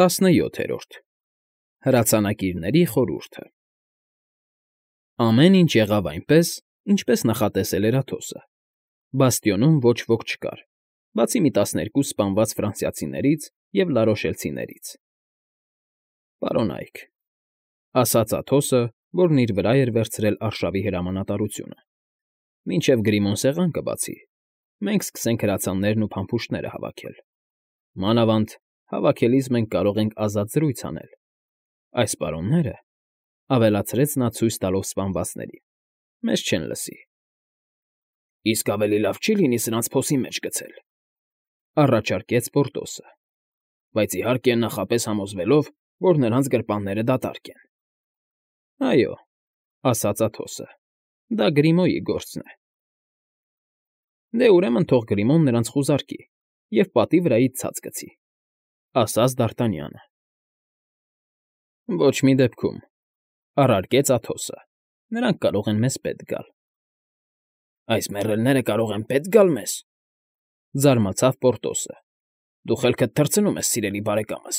17 Հրացանակիրների խորհուրդը Ամեն ինչ եղավ այնպես, ինչպես նախատեսել էր Աթոսը. բաստիոնում ոչ ոք չկար, բացի մի 12 սպանված ֆրանսիացիներից և լարոշելցիներից։ «Պարոն Այք,֊ ասաց Աթոսը, որն իր վրա էր վերցրել արշավի հրամանատարությունը,֊ մինչև Գրիմոն սեղան կբացի, մենք սկսենք հրացաններն ու փամփուշտները հավաքել։ Մանավանդ հավաքելիս մենք կարող ենք ազատ զրույց անել։ Այս պարոնները,֊ ավելացրեց նա ցույց տալով սպանվածներին,֊ մեզ չեն լսի»։ «Իսկ ավելի լավ չի՞ լինի սրանց փոսի մեջ գցել,֊ առաջարկեց Պորտոսը,֊ բայց, իհարկե, նախապես համոզվելով, որ նրանց գրպանները դատարկ են»։ «Այո,֊ ասաց Աթոսը,֊ դա Գրիմոյի գործն է»։ «Դե, ուրեմն թող Գրիմոն նրանց խուզարկի և պատի վրայից ցած գցի»,֊ ասաց Դ'Արտանյանը։ «Ոչ մի դեպքում,֊ առարկեց Աթոսը,֊ նրանք կարող են մեզ պետք գալ»։ «Այս մեռելները կարող են պետք գալ մեզ,֊ զարմացավ Պորտոսը,֊ դու խելքդ թռցնում ես, սիրելի բարեկամս»։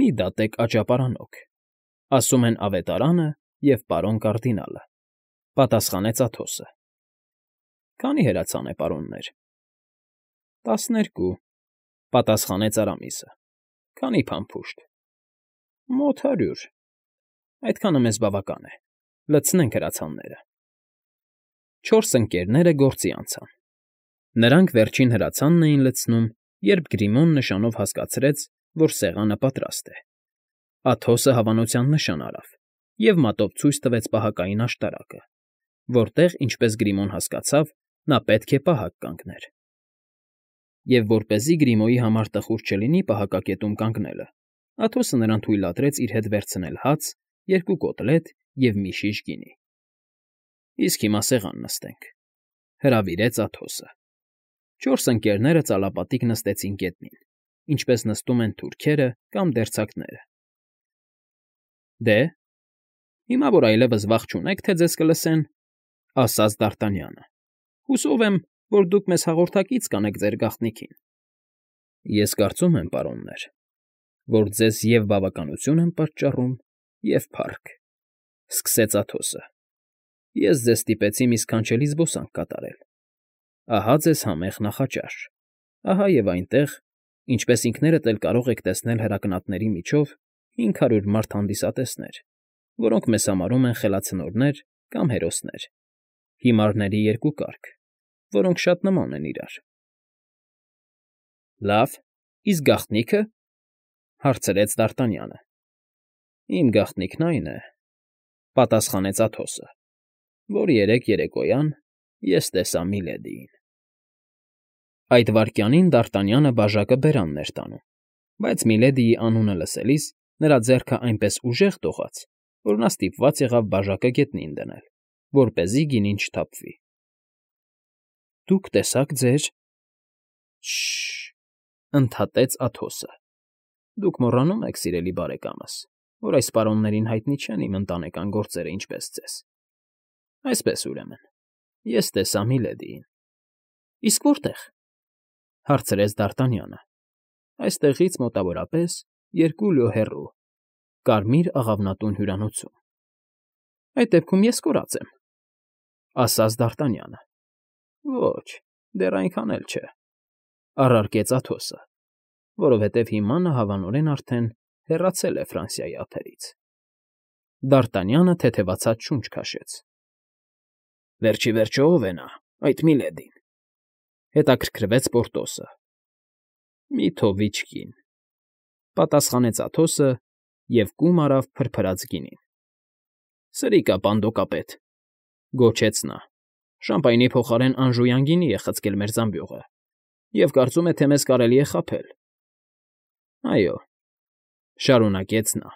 «Մի՛ դատեք աճապարանոք, ասում են Ավետարանը և պարոն կարդինալը,֊ պատասխանեց Աթոսը։ Քանի՞ հրացան է, պարոններ։ 12,֊ պատասխանեց Արամիսը։ Քանի՞ փամփուշտ։ Մոտ 100։ Այդքանը մեզ բավական է, լցնենք հրացանները։ 4 ընկերները գործի անցան։ Նրանք վերջին հրացանն էին լցնում, երբ Գրիմոն նշանով հասկացրեց, որ սեղանը պատրաստ է։ Աթոսը հավանության նշան արավ և մատով ցույց տվեց պահակային աշտարակը, որտեղ, ինչպես Գրիմոն հասկացավ, նա պետք է պահակ կանգներ։ Եվ որպեսզի Գրիմոյի համար տխուր չլինի պահակակետում կանգնելը, Աթոսը նրան թույլատրեց իր հետ վերցնել հաց, 2 կոտլետ և մի շիշ գինի։ «Իսկ հիմա սեղան նստենք,֊ հրավիրեց Աթոսը։ 4 ընկերները ծալապատիկ նստեցին գետնին, ինչպես նստում են թուրքերը կամ դերձակները։ «Դե, հիմա որ այլևս վախ չունեք, թե ձեզ կլսեն,֊ ասաց Դ'Արտանյանը,֊ հուսով եմ, որ դուք մեզ հաղորդակից կանեք ձեր գաղտնիքին»։ «Ես կարծում եմ, պարոններ, որ ձեզ և՛ բավականություն եմ պատճառում, և՛ փառք,֊ սկսեց Աթոսը։ Ես ձեզ ստիպեցի մի սքանչելի զբոսանք կատարել։ Ահա ձեզ համեղ նախաճաշ, ահա և այնտեղ, ինչպես ինքներդ էլ կարող եք տեսնել հրակնատների միջով, 500 մարդ հանդիսատեսներ, որոնք մեզ համարում են խելացնորներ կամ հերոսներ, հիմարների 2 կարգ, որոնք շատ նման են իրար։ «Լավ, իսկ գաղտնիքը,֊ հարցրեց Դ'Արտանյանը։ «Իմ գաղտնիքն այն է,֊ պատասխանեց Աթոսը,֊ որ երեկ երեկոյան ես տեսա Միլեդիին»։ Այդ վայրկյանին Դ'Արտանյանը բաժակը բերանն էր տանում, բայց Միլեդիի անունը լսելիս նրա ձեռքը այնպես ուժեղ դողաց, որ նա ստիպված եղավ բաժակը գետնին դնել, որպեսզի գինին չթափվի։ «Դուք տեսաք ձեր…֊ Շը՜շ֊շ… ընդհատեց Աթոսը։ Դուք մոռանում եք, սիրելի բարեկամս, որ այս պարոններին հայտնի չեն իմ ընտանեկան գործերը ինչպես ձեզ։ Այսպես, ուրեմն, ես տեսա Միլեդիին»։ «Իսկ որտե՞ղ,֊ հարցրեց Դ'Արտանյանը։ «Այստեղից մոտավորապես 2 լյո հեռու, Կարմիր աղավնատուն հյուրանոցում»։ «Այդ դեպքում ես կորած եմ,֊ ասաց Դ'Արտանյանը։ Ոչ, դեռ այնքան էլ չէ,֊ առարկեց Աթոսը, որովհետև հիմա նա հավանորեն արդեն հեռացել է Ֆրանսիայի ափերից։ Դ'Արտանյանը թեթևացած շունչ քաշեց։ «Վերջ ի վերջո ո՞վ է նա, այդ Միլեդին,֊ հետաքրքրվեց Պորտոսը։ Մի թովիչ կին,֊ պատասխանեց Աթոսը և կում արավ փրփրած գինին։ «Սրիկա, պանդոկապետ,֊ գոչեց նա,֊ շամպայնի փոխարեն անժույան գինի է խցկել մեր զամբյուղը և կարծում է, թե մեզ կարելի է խաբել»։ «Այո,֊ շարունակեց նա,֊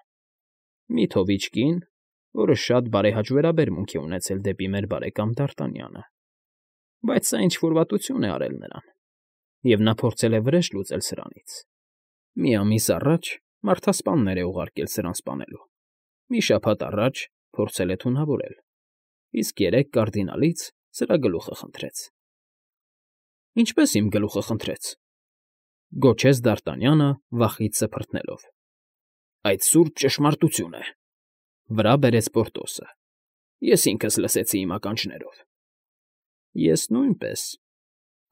մի թովիչ կին, որը շատ բարեհաճ վերաբերմունք է ունեցել դեպի մեր բարեկամ Դ'Արտանյանը, բայց սա ինչ֊որ վատություն է արել նրան, և նա փորձել է վրեժ լուծել սրանից։ Մի ամիս առաջ մարդասպաններ է ուղարկել սրան սպանելու, մի շաբաթ առաջ փորձել է թունավորել, իսկ երեկ կարդինալից սրա գլուխը խնդրեց»։ «Ինչպե՞ս իմ գլուխը խնդրեց,֊ Գոչեց Դարտանյանը վախից սփռտնելով։ ֊ Այդ սուրբ ճշմարտություն է,֊ վրա բերեց Պորտոսը։ Ես ինքս լսեցի իմ ականջներով։ ֊ Ես նույնպես,֊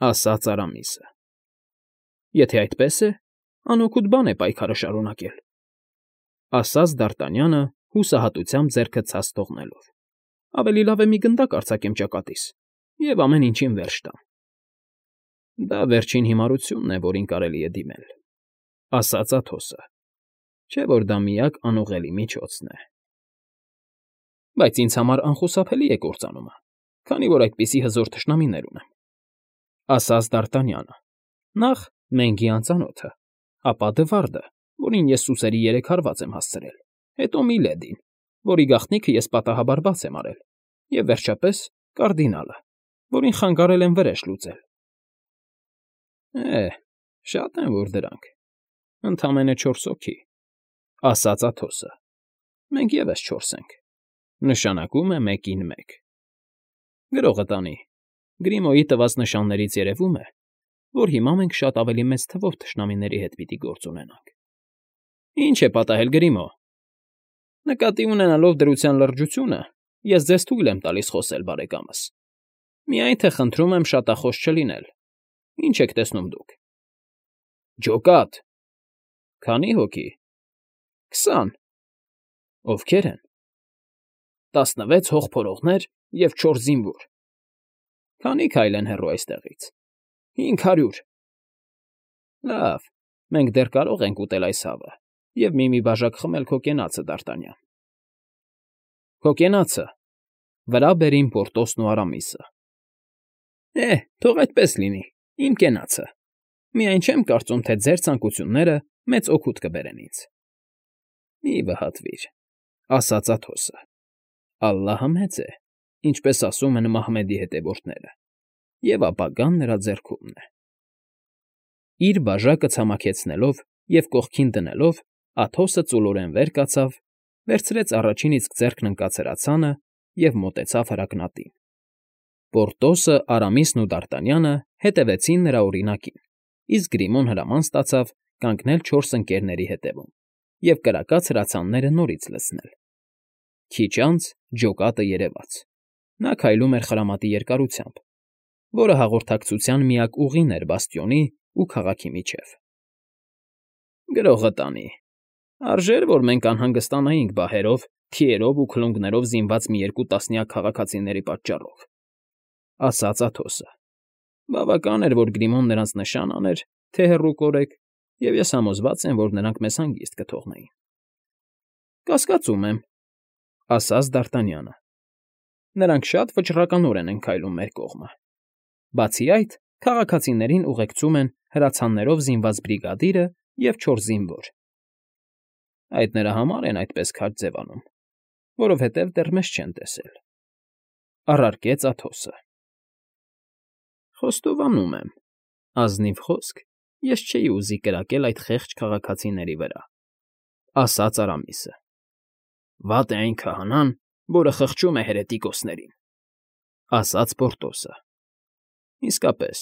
ասաց Արամիսը։ ֊ Եթե այդպես է, անօգուտ բան է պայքարը շարունակել,֊ ասաց Դարտանյանը հուսահատությամբ ձեռքը ցած թողնելով։ Ավելի լավ է մի գնդակ արձակեմ ճակատիս և ամեն ինչին վերջ տամ։ ֊ Դա վերջին հիմարությունն է, որին կարելի է դիմել,֊ ասաց Աթոսը, չէ՞ որ դա միակ անուղղելի միջոցն է։ ֊ Բայց ինձ համար անխուսափելի է կործանումը, քանի որ այդպիսի հզոր թշնամիներ ունեմ,֊ ասաց Դարտանյանը։ Նախ Մենգի անծանոթը, ապա Դվարդը, որին ես սուսերի 3 հարված եմ հասցրել, հետո Միլեդին, որի գաղտնիքը ես պատահաբար բաց եմ արել, և վերջապես կարդինալը, որին խանգարել եմ վրեժ լուծել։ ֊ Շատ են որ դրանք, ընդամենը 4 հոգի,֊ ասաց Աթոսը։ Մենք ևս 4 ենք, նշանակում է 1-ին 1։ Գրողը տանի, Գրիմոյի տված նշաններից երևում է, որ հիմա մենք շատ ավելի մեծ թվով թշնամիների հետ պիտի գործ ունենանք։ ֊ Ինչ է պատահել, Գրիմո։ ֊ Նկատի ունենալով դրության լրջությունը, ես ձեզ թույլ եմ տալիս խոսել, բարեկամս։ Միայն թե խնդրում եմ շատախոս չլինել։ Ինչ եք տեսնում դուք։ ֊ Ջոկատ։ ֊ Քանի՞ հոգի։ ֊ 20։ ֊ Ովքեր են։ ֊ 16 հողփորողներ և 4 զինվոր։ ֊ Քանի՞ քայլ են հեռու այստեղից։ ֊ 500։ ֊ Լավ, մենք դեռ կարող ենք ուտել այս հավը և մի բաժակ խմել քո կենացը, Դարտանյան։ ֊ Քո կենացը,֊ վրա բերին Պորտոսն ու Արամիսը։ ֊ Թող այդպես լինի, իմ կենացը։ Միայն չեմ կարծում, թե ձեր ցանկությունները մեծ օգուտ կբերեն ինձ։ ֊ Մի վհատվիր,֊ ասաց Աթոսը։ Ալլահը մեծ է, ինչպես ասում են Մահմեդի հետևորդները, և ապագան նրա ձեռքումն է։ Իր բաժակը ցամաքեցնելով և կողքին դնելով, Աթոսը ծուլորեն վեր կացավ, վերցրեց առաջին իսկ ձեռքն ընկած հրացանը և մոտեցավ հրակնատին։ Պորտոսը, Արամիսն ու Դարտանյանը հետևեցին նրա օրինակին, իսկ Գրիմոն հրաման ստացավ կանգնել 4 ընկերների հետևում և կրակած հրացանները նորից լցնել։ Քիչ անց ջոկատը երևաց։ Նա քայլում էր խրամատի երկարությամբ, որը հաղորդակցության միակ ուղին էր բաստիոնի ու քաղաքի միջև։ ֊ Գրողը տանի, արժեր, որ մենք անհանգստանայինք բահերով, թիերով ու քլունգներով զինված մի 2 տասնյակ քաղաքացիների պատճառով,֊ ասաց Աթոսը։ Բավական էր, որ Գրիմոն նրանց նշան աներ, թե հեռու կորեք, և ես համոզված եմ, որ նրանք մեզ հանգիստ կթողնեին։ ֊ Կասկածում եմ,֊ ասաց Դարտանյանը։ Նրանք շատ վճռականորեն են քայլում մեր կողմը։ Բացի այդ, քաղաքացիներին ուղեկցում են հրացաններով զինված բրիգադիրը և 4 զինվոր։ Այդ նրա համար են այդպես քաջ ձևանում, որովհետև դեռ մեզ չեն տեսել,֊ առարկեց Աթոսը։ ֊ Խոստովանում եմ, ազնիվ խոսք ես չէի ուզի կրակել այդ խեղճ քաղաքացիների վրա,֊ ասաց Արամիսը։ ֊ Վատ է այն քահանան, որը խղճում է հերետիկոսներին,֊ ասաց Պորտոսը։ ֊ Իսկապես,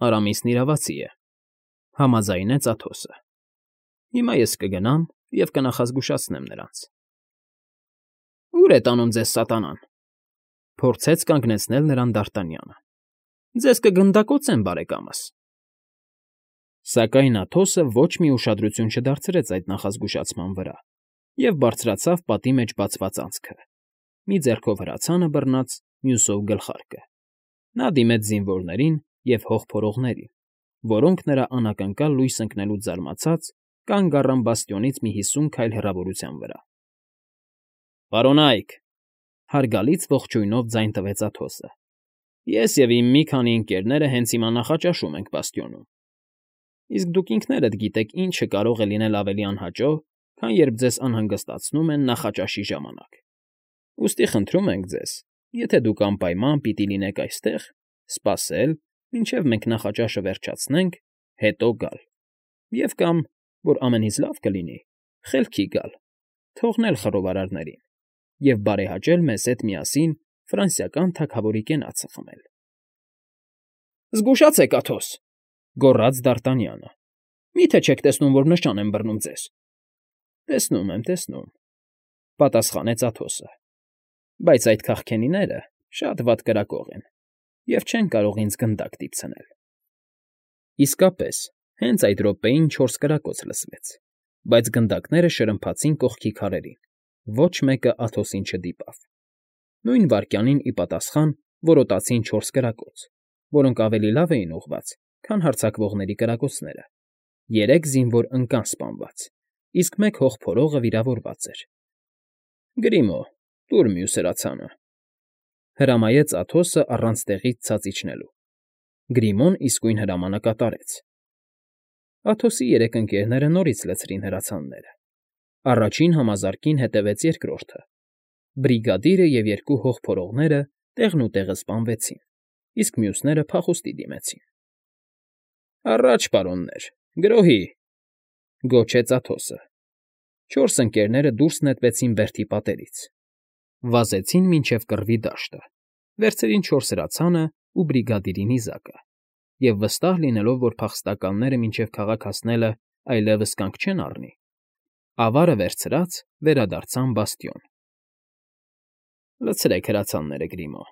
Արամիսն իրավացի է,֊ համաձայնեց Աթոսը։ Հիմա ես կգնամ և կնախազգուշացնեմ նրանց։ ֊ Ո՞ւր է տանում ձեզ սատանան,֊ փորձեց կանգնեցնել նրան Դարտանյանը։ ֊ Ձեզ կգնդակոծեմ, բարեկամս։ Սակայն Աթոսը ոչ մի ուշադրություն չդարձրեց այդ նախազգուշացման վրա և բարձրացավ պատի մեջ բացված անցքը, մի ձեռքով հրացանը բռնած, մյուսով գլխարկը։ Նա դիմեց զինվորներին և հողփորողներին, որոնք նրա անակնկալ լույս ընկնելուց զարմացած կանգ առան բաստիոնից մի 50 քայլ հեռավորության վրա։ ֊ Պարոնա՛յք,֊ հարգալից ողջույնով ձայն տվեց Աթոսը,֊ ես և իմ մի քանի ընկերները հենց հիմա նախաճաշում ենք բաստիոնում։ Իսկ դուք ինքներդ գիտեք ինչը կարող է լինել ավելի անհաճո, քան երբ ձեզ անհանգստացնում են նախաճաշի ժամանակ։ Ուստի խնդրում ենք ձեզ, եթե դուք անպայման պիտի լինեք այստեղ, սպասել, մինչև մենք նախաճաշը վերջացնենք, հետո գալ, և կամ, որ ամենից լավ կլինի, խելքի գալ, թողնել խռովարարներին և բարեհաճել մեզ հետ միասին ֆրանսիական թագավորի կենացը խմել։ ֊ Զգուշացե՛ք, Աթոս,֊ գոռաց Դարտանյանը։ Մի՞թե չեք տեսնում, որ նշան եմ բռնում ձեզ։ Տեսնում եմ, տեսնում,֊ պատասխանեց Աթոսը,֊ բայց այդ քաղքենիները շատ վատ կրակող են և չեն կարող ինձ գնդակ դիպցնել։ Իսկապես, հենց այդ րոպեին 4 կրակոց լսվեց, բայց գնդակները շրմփացին կողքի քարերին, ոչ մեկը Աթոսին չդիպավ։ Նույն վայրկյանին ի պատասխան որոտացին 4 կրակոց, որոնք ավելի լավ էին ուղղված, քան հարձակվողների կրակոցները։ 3 զինվոր ընկան սպանված, իսկ մեկ հողփորողը վիրավորված էր։ «Գրիմո, տուր մյուս հրացանը,֊ հրամայեց Աթոսը առանց տեղից ցած իջնելու։ Գրիմոն իսկույն հրամանը կատարեց։ Աթոսի 3 ընկերները նորից լցրին հրացանները։ Առաջին համազարկին հետևեց երկրորդը։ Բրիգադիրը և 2 հողփորողները տեղնուտեղը սպանվեցին, իսկ մյուսները փախուստի դիմեցին։ «Առաջ, պարոններ, գրոհի!֊ գոչեց Աթոսը։ 4 ընկերները դուրս նետվեցին բերդի պատերից, վազեցին մինչև կռվի դաշտը, վերցրին 4 հրացանն ու բրիգադիրի նիզակը և, վստահ լինելով, որ փախստականները մինչև քաղաք հասնելը այլևս կանգ չեն առնի, ավարը վերցրած վերադարձան բաստիոն։ «Լցրեք հրացանները, Գրիմո,֊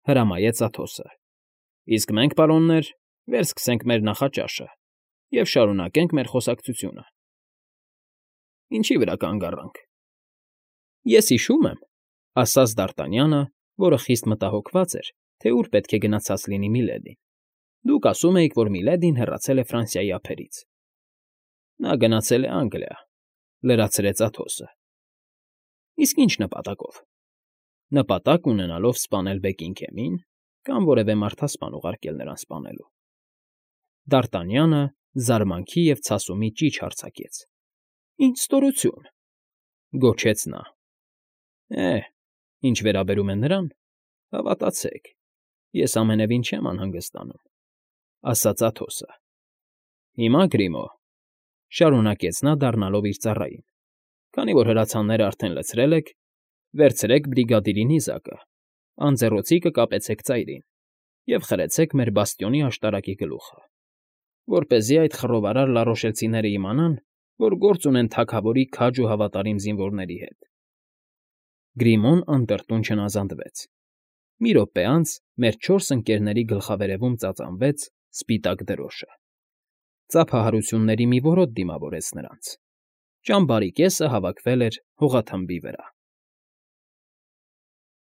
հրամայեց Աթոսը,֊ իսկ մենք, պարոններ, վերսկսենք մեր նախաճաշը և շարունակենք մեր խոսակցությունը»։ «Ինչի վրա կանգ առանք»։ «Ես հիշում եմ,֊ ասաց Դարտանյանը, որը խիստ մտահոգված էր, թե ուր պետք է գնացած լինի Միլեդին,֊ դուք ասում էիք, որ Միլեդին հեռացել է Ֆրանսիայի ափերից»։ «Նա գնացել է Անգլիա,֊ լրացրեց Աթոսը։ «Իսկ ի՞նչ նպատակով։ Նպատակ ունենալով սպանել Բեկինգեմի՞ն կամ որևէ մարդասպան ուղարկել նրան սպանելու»։ Դարտանյանը զարմանքի և ցասումի ճիչ արձակեց։ «Ինչ ստորություն,֊ գոչեց նա։ Ինչ վերաբերում է նրան, հավատացեք, ես ամենևին չեմ անհանգստանում,֊ ասաց Աթոսը։ Հիմա, Գրիմո,֊ շարունակեց նա, դառնալով իր ծառային,֊ քանի որ հրացանները արդեն լցրել եք, վերցրեք բրիգադիրի նիզակը, անձեռոցիկը կապեցեք ծայրին և խրեցեք մեր բաստիոնի աշտարակի գլուխը, որպեսզի այդ խռովարար լարոշելցիները իմանան, որ գործ ունեն թագավորի քաջ ու հավատարիմ զինվորների հետ։ Գրիմոն անդրդուն չնազանդվեց։ Մի րոպե անց մեր 4 ընկերների գլխավերևում ծածանվեց սպիտակ դրոշը։ Ծափահարությունների մի որոտ դիմավորեց նրանց։ Ճամբարի կեսը հավաքվել էր հողաթմբի վրա։